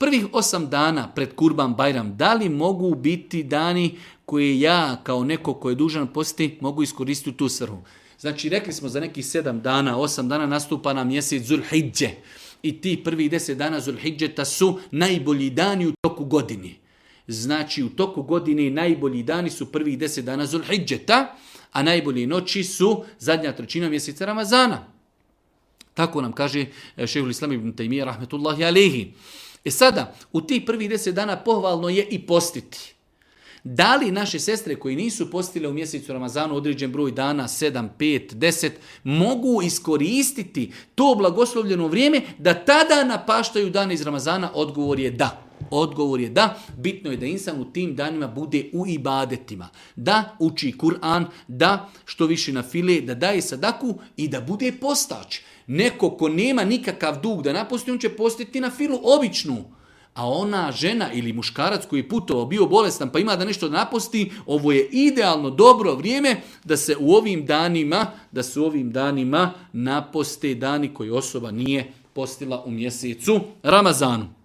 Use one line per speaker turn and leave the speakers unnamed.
Prvih 8 dana pred Kurban Bajram, da li mogu biti dani koje ja kao neko ko je dužan postiti mogu iskoristiti u tu svrhu? Znači, rekli smo za nekih 7 dana, 8 dana nastupa na mjesec Zulhidže. I ti prvih 10 dana Zulhidžeta su najbolji dani u toku godine. Znači, u toku godine najbolji dani su prvih 10 dana Zulhidžeta, a najbolje noći su zadnja trećina mjeseca Ramazana. Tako nam kaže šejhul Islam ibn Tajmije rahmetullahi alejhi. Sada, u tih prvih 10 dana pohvalno je i postiti. Da li naše sestre koji nisu postile u mjesecu Ramazanu određen broj dana, 7, 5, 10, mogu iskoristiti to blagoslovljeno vrijeme da tada napaštaju dane iz Ramazana? Odgovor je da. Odgovor je da. Bitno je da insan u tim danima bude u ibadetima. Da uči Kur'an, da što više na file, da daje sadaku i da bude postač. Neko ko nema nikakav dug da naposti, on će postiti na filu običnu. A ona žena ili muškarac koji je putovao, bio bolestan pa ima da nešto naposti, ovo je idealno dobro vrijeme da se u ovim danima naposte dani koji osoba nije postila u mjesecu Ramazanu.